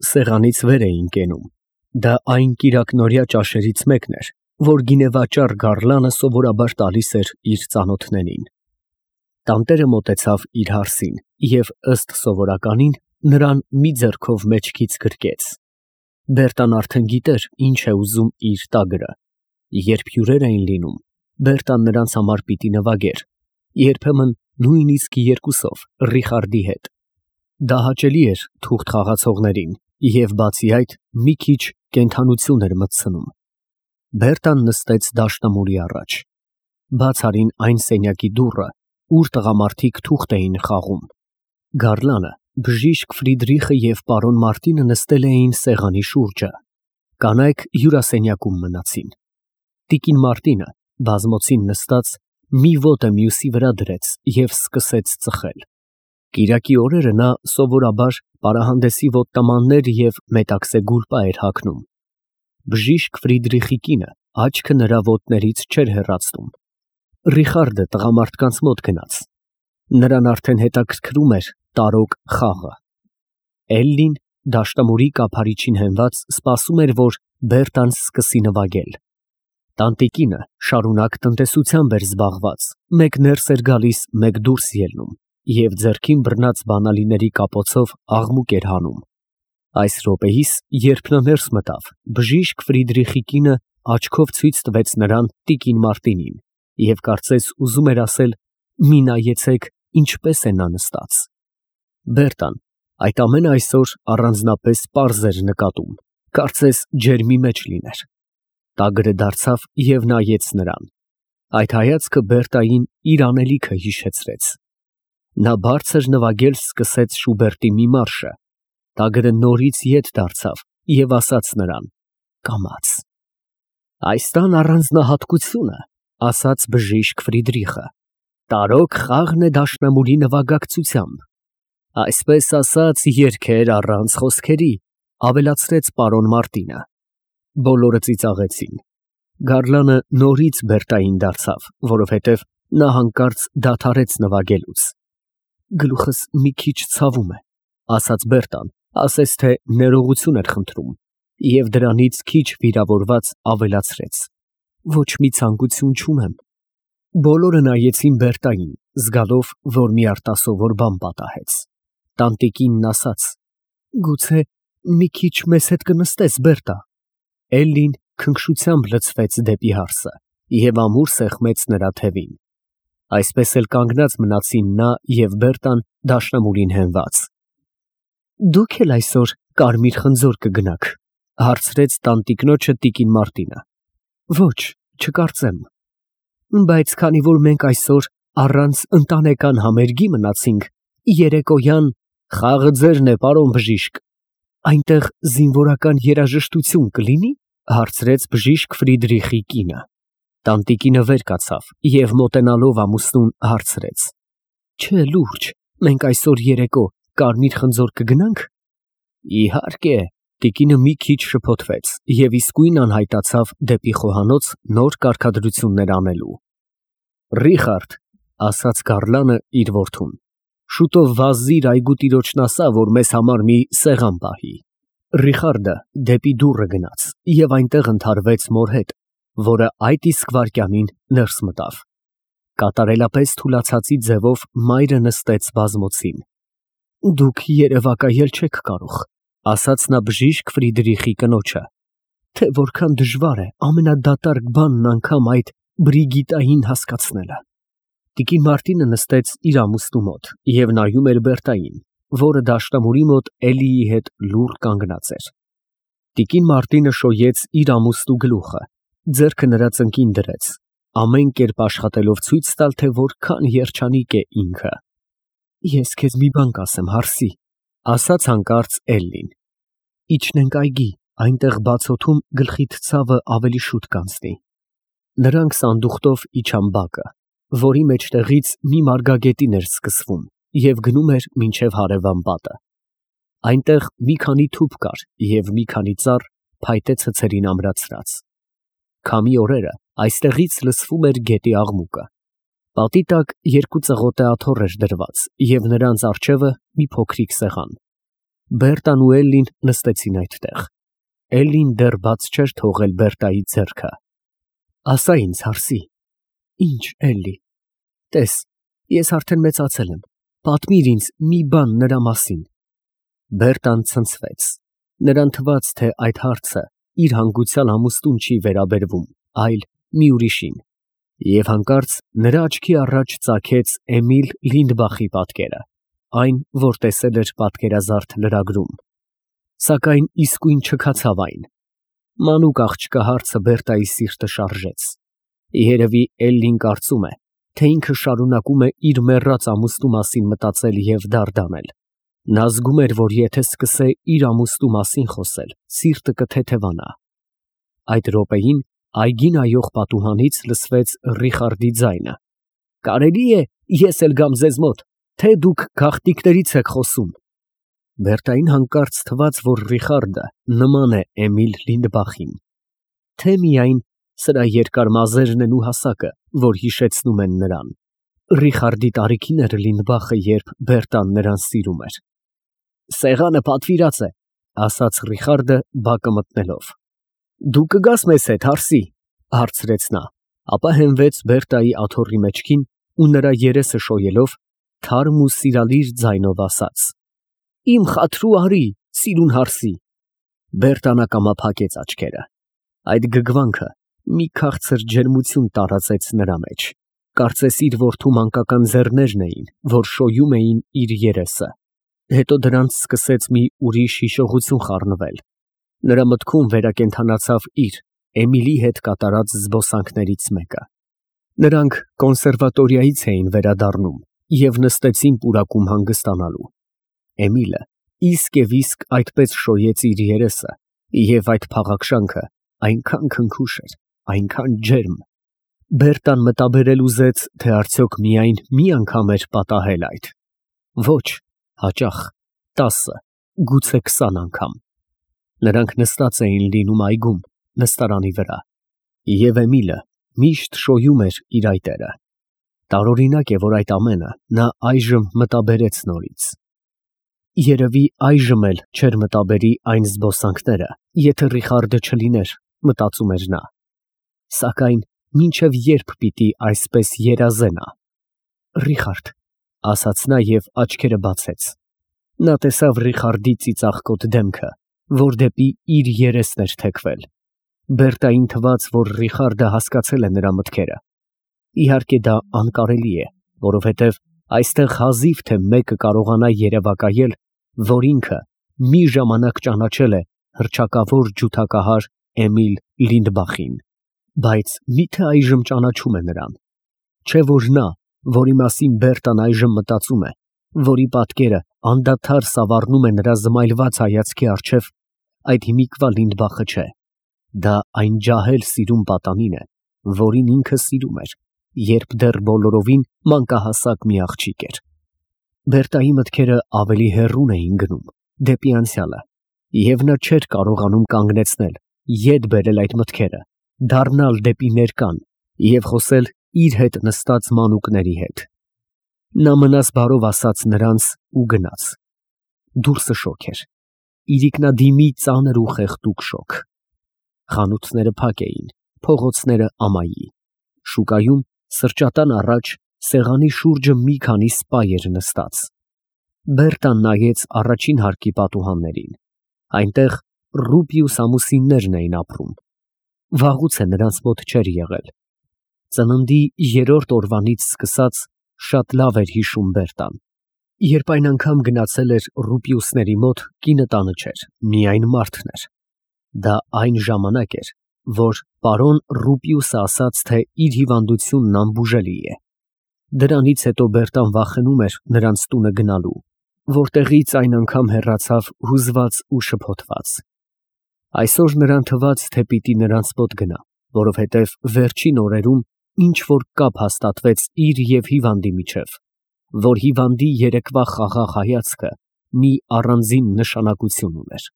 սեղանից վեր էին կենում։ Դա այն կիրակնօրյա ճաշերից մեկն էր, որ գինեվաճառ Գարլանը սովորաբար տալիս էր իր ծանոթներին։ Տանտերը մոտեցավ իր հարսին և, ըստ սովորականին, նրան մի ձեռքով մեջքից գրկեց։ Բերտան արդեն գիտեր, ինչ է ուզում իր տագրը։ Երբ հյուրեր էին լինում, Բերտան նրանց համար պիտի նվագեր, երբեմն նույնիսկ երկուսով Ռիխարդի հետ։ Դա հաճելի էր թուղթ խաղացողներին և, բացի այդ, մի քիչ կենդանություն էր մտցնում։ Բերտան նստեց դաշնամուրի առաջ։ Բաց արին այն սենյակի դուռը, ուր տղամարդիկ թուղթ էին խաղում։ Գարլանը, բժիշկ Ֆրիդրիխը և պարոն Մարտինը նստել էին սեղանի շուրջը։ Կանայք հյուրասենյակում մնացին։ Տիկին Մարտինը, բազմոցին նստած, մի ոտը մյուսի վրա դրեց և սկսեց ծխել։ Կիրակի օրերը նա սովորաբար պարահանդեսի ոտնամաններ և մետաքսե գուլպա էր հագնում։ Բժիշկ Ֆրիդրիխի կինը աչքը նրա ոտներից չէր հեռացնում։ Ռիխարդը տղամարդկանց մոտ գնաց։ Նրան արդեն հետաքրքրում էր տարօգ խաղը։ Էլլին, դաշնամուրի կափարիչին հենված, սպասում էր, որ Բերտան սկսի նվագել։ Տանտիկինը շարունակ տնտեսությամբ էր զբաղված, մեկ ներս էր գալիս, մեկ դուրս ելնում և ձեռքին բռնած բանալիների կապոցով աղմուկ էր հանում։ Այս րոպեիս, երբ նա ներս մտավ, բժիշկ Ֆրիդրիխի կինը աչքով ցույց տվեց նրան տիկին Մարտինին և կարծես ուզում էր ասել. «Մի նայեցեք, ինչպես է նա նստած»։ Բերտան այդ ամենը այսօր առանձնապես պարզ էր նկատում, կարծես ջերմի մեջ լիներ։ Տագրը դարձավ և նայեց նրան։ Այդ հայացքը Բերտային իր անելիքը հիշեցրեց։ Նա բարձր նվագել սկսեց Շուբերտի մի մարշը։ Տագրը նորից ետ դարձավ և ասաց նրան. «Կամաց»։ «Այս տան առանձնահատկությունը, ֊ ասաց բժիշկ Ֆրիդրիխը, ֊ տարօգ խաղն է դաշնամուրի նվագակցությամբ։ Այսպես ասած, երգեր առանց խոսքերի, ֊ ավելացրեց պարոն Մարտինը։ Բոլորը ծիծաղեցին։ Գարլանը նորից Բերտային դարձավ, որովհետև նա հանկարծ դադարեց նվագելուց։ «Գլուխս մի քիչ ցավում է», ֊ ասաց Բերտան, ասես թե ներողություն էր խնդրում և դրանից քիչ վիրավորված ավելացրեց. «Ոչ մի ցանկություն չունեմ»։ Բոլորը նայեցին Բերտային, զգալով, որ մի արտասովոր բան պատահեց։ Տանտիկինն ասաց. «Գուցե մի քիչ մեզ հետ կնստես, Բերտա»։ Էլլին քնքշությամբ լցվեց դեպի հարսը և ամուր սեղմեց նրա թևին։ Այսպես էլ կանգնած մնացին նա և Բերտան դաշնամուրին հենված։ «Դուք էլ այսօր կարմիր խնձոր կգնաք, ֊ հարցրեց տանտիկնոջը տիկին Մարտինը։ «Ոչ, չկարծեմ»։ «Բայց քանի որ մենք այսօր առանց ընտանեկան համերգի մնացինք, երեկոյան...» «Խաղը ձերն է, պարոն բժիշկ, այնտեղ զինվորական երաժշտություն կլինի՞, ֊ հարցրեց բժիշկ Ֆրիդրիխի կինը։ Տանտիկինը վեր կացավ և մոտենալով ամուսնուն հարցրեց. «Չէ, լուրջ, մենք այսօր երեկո կարմիր խնձոր կգնա՞նք»։ «Իհարկե», ֊ տիկինը մի քիչ շփոթվեց և իսկույն անհայտացավ դեպի խոհանոց նոր կարգադրություններ անելու։ «Ռիխարդ, ֊ ասաց Գարլանը իր որդուն, ֊ շուտով վազիր այգու տիրոջն ասա, որ մեզ համար մի սեղան պահի»։ Ռիխարդը դեպի դուռը գնաց և այնտեղ ընդհարվեց մոր հետ, որը այդ իսկ վայրկյանին ներս մտավ։ Կատարելապես թուլացածի ձևով մայրը նստեց բազմոցին։ «Դուք երևակայել չեք կարող, ֊ ասաց նա բժիշկ Ֆրիդրիխի կնոջը, ֊ թե որքան դժվար է ամենադատարկ բանն անգամ այդ Բրիգիտային հասկացնելը»։ Տիկին Մարտինը նստեց իր ամուսնու մոտ և նայում էր Բերտային, որը դաշնամուրի մոտ Էլլիի հետ լուռ կանգնած էր։ Տիկին Մարտինը շոյեց իր ամուսնու գլուխը, ձեռքը նրա ծնկին դրեց, ամեն կերպ աշխատելով ցույց տալ, թե որքան երջանիկ է ինքը։ «Ես քեզ մի բան կասեմ, հարսի, ֊ ասաց հանկարծ Էլլին, ֊ իջնենք այգի, այնտեղ բաց օդում գլխիդ ցավը ավելի շուտ կանցնի»։ Նրանք սանդուղքով իջան բակը, որի մեջտեղից մի մարգագետին էր սկսվում և գնում էր մինչև հարևան պատը։ Այնտեղ մի քանի թուփ կար և մի քանի ծառ, փայտե ցցերին ամրացրած։ Քամի օրերը այստեղից լսվում էր գետի աղմուկը։ Պատի տակ երկու ծղոտե աթոռ էր դրված և նրանց առջևը մի փոքրիկ սեղան։ Բերտան ու Էլլին նստեցին այդտեղ։ Էլլին դեռ բաց չէր թողել Բերտայի ձեռքը։ Ասա ինձ, Հարսի։ Ինչ, Էլլի։ Տես, ես արդեն մեծացել եմ։ Պատմիր ինձ մի բան նրա մասին։ Բերտան ցնցվեց։ Նրան թվաց, թե այդ հարցը իր հանգուցյալ ամուսնուն չի վերաբերվում, այլ մի ուրիշին։ Եվ հանկարծ նրա աչքի առաջ ծագեց Էմիլ Լինդբախի պատկերը, այն, որ տեսել էր պատկերազարդ լրագրում։ Սակայն իսկույն չքացավ այն։ Մանուկ աղջկա հարցը Բերտայի սիրտը շարժեց։ Երևի Էլլին կարծում է, թե ինքը շարունակում է իր մեռած ամուսնու մասին մտածել և դարդանել։ Նա զգում էր, որ եթե սկսե իր ամուսնու մասին խոսել, սիրտը կթեթևանա։ Այդ րոպեին այգին այող պատուհանից լսվեց Ռիխարդի ձայնը։ Կարելի է ես էլ գամ ձեզ մոտ, թե դուք գաղտնիքներից եք խոսում։ Բերտային հանկարծ թվաց, որ Ռիխարդը նման է Էմիլ Լինդբախին։ Թե միայն սրա երկար մազերն են ու հասակը, որ հիշեցնում են նրան։ Ռիխարդի տարիքին էր Լինդբախը, երբ Բերտան նրան սիրում էր։ Սեղանը պատվիրած է, ասաց Ռիխարդը բակը մտնելով։ Դու կգաս մեզ հետ, Հարսի, հարցրեց նա, ապա հենվեց Բերտայի աթոռի մեջքին ու նրա երեսը շոյելով թարմ ու սիրալիր ձայնով ասաց. Իմ խաթրու արի, սիրուն Հարսի։ Բերտան ակամա փակեց աչքերը։ Այդ գգվանքը մի քաղցր ջերմություն տարածեց նրա մեջ։ Կարծես իր որդու մանկական ձեռներն էին, որ շոյում էին իր երեսը։ Հետո դրանց սկսեց մի ուրիշ հիշողություն խառնվել։ Նրա մտքում վերակենդանացավ իր Էմիլի հետ կատարած զբոսանքներից մեկը։ Նրանք կոնսերվատորիայից էին վերադառնում և նստեցին պուրակում հանգստանալու։ Էմիլը իսկ այդպես շոյեց իր երեսը, և այդ փաղաքշանքը այնքան քնքուշ էր, այնքան ջերմ։ Բերտան մտաբերել ուզեց, թե արդյոք միայն մի անգամ էր պատահել այդ։ Ոչ, հաճախ, 10, գուցե 20 անգամ։ Նրանք նստած էին լինում այգում, նստարանի վրա, և Էմիլը միշտ շոյում էր իր այտերը։ Տարօրինակ է, որ այդ ամենը նա այժմ մտաբերեց նորից։ Երևի այժմ էլ չէր մտաբերի այն զբոսանքները, եթե Ռիխարդը չլիներ, մտածում էր նա։ Սակայն մինչև երբ պիտի այսպես երազե նա։ Ռիխարդ, ասաց նա և աչքերը բացեց։ Նա տեսավ Ռիխարդի ծիծաղկոտ դեմքը, որ դեպի իր երեսն էր թեքվել։ Բերտային թվաց, որ Ռիխարդը հասկացել է նրա մտքերը։ Իհարկե դա անկարելի է, որովհետև այստեղ հազիվ թե մեկը կարողանա երևակայել, որ ինքը մի ժամանակ ճանաչել է հռչակավոր ջութակահար Էմիլ Լինդբախին, բայց միթե այժմ ճանաչում է նրան։ Չէ որ նա, որի մասին Բերտան այժմ մտածում է, որի պատկերը անդադար սավառնում է նրա զմայլված հայացքի առջև, այդ հիմիկվա Լինդբախը չէ։ Դա այն ջահել սիրուն պատանին է, որին ինքը սիրում էր, երբ դեռ բոլորովին մանկահասակ մի աղջիկ էր։ Բերտայի մտքերը ավելի հեռուն էին գնում, դեպի անցյալը, և նա չէր կարողանում կանգնեցնել, ետ բերել այդ մտքերը, դառնալ դեպի ներկան և խոսել իր հետ նստած մանուկների հետ։ Նա մնաս բարով ասաց նրանց ու գնաց։ Դուրսը շոգ էր, իրիկնադիմի ծանր ու խեղդուկ շոգ։ Խանութները փակ էին, փողոցները ամայի։ Շուկայում սրճատան առաջ սեղանի շուրջը մի քանի սպա էր նստած։ Բերտան նայեց առաջին հարկի պատուհաններին։ Այնտեղ Ռուպիուս ամուսիններն էին ապրում։ Վաղուց է նրանց մոտ չէր եղել։ Ծննդի 3-րդ օրվանից սկսած շատ լավ էր հիշում Բերտան։ Երբ այն անգամ գնացել էր Ռուպիուսների մոտ, կինը տանը չէր, միայն մարդն էր։ Դա այն ժամանակ էր, որ պարոն Ռուպիուսը ասաց, թե իր հիվանդությունն անբուժելի է։ Դրանից հետո Բերտան վախենում էր նրանց տունը գնալու, որտեղից այն անգամ հեռացավ հուզված ու շփոթված։ Այսօր նրան թվաց, թե պիտի նրանց մոտ գնա, որովհետև վերջին օրերում ինչ-որ կապ հաստատվեց իր և հիվանդի միջև, որ հիվանդի երեկվա խաղաղ հայացքը մի առանձին նշանակություն ուներ։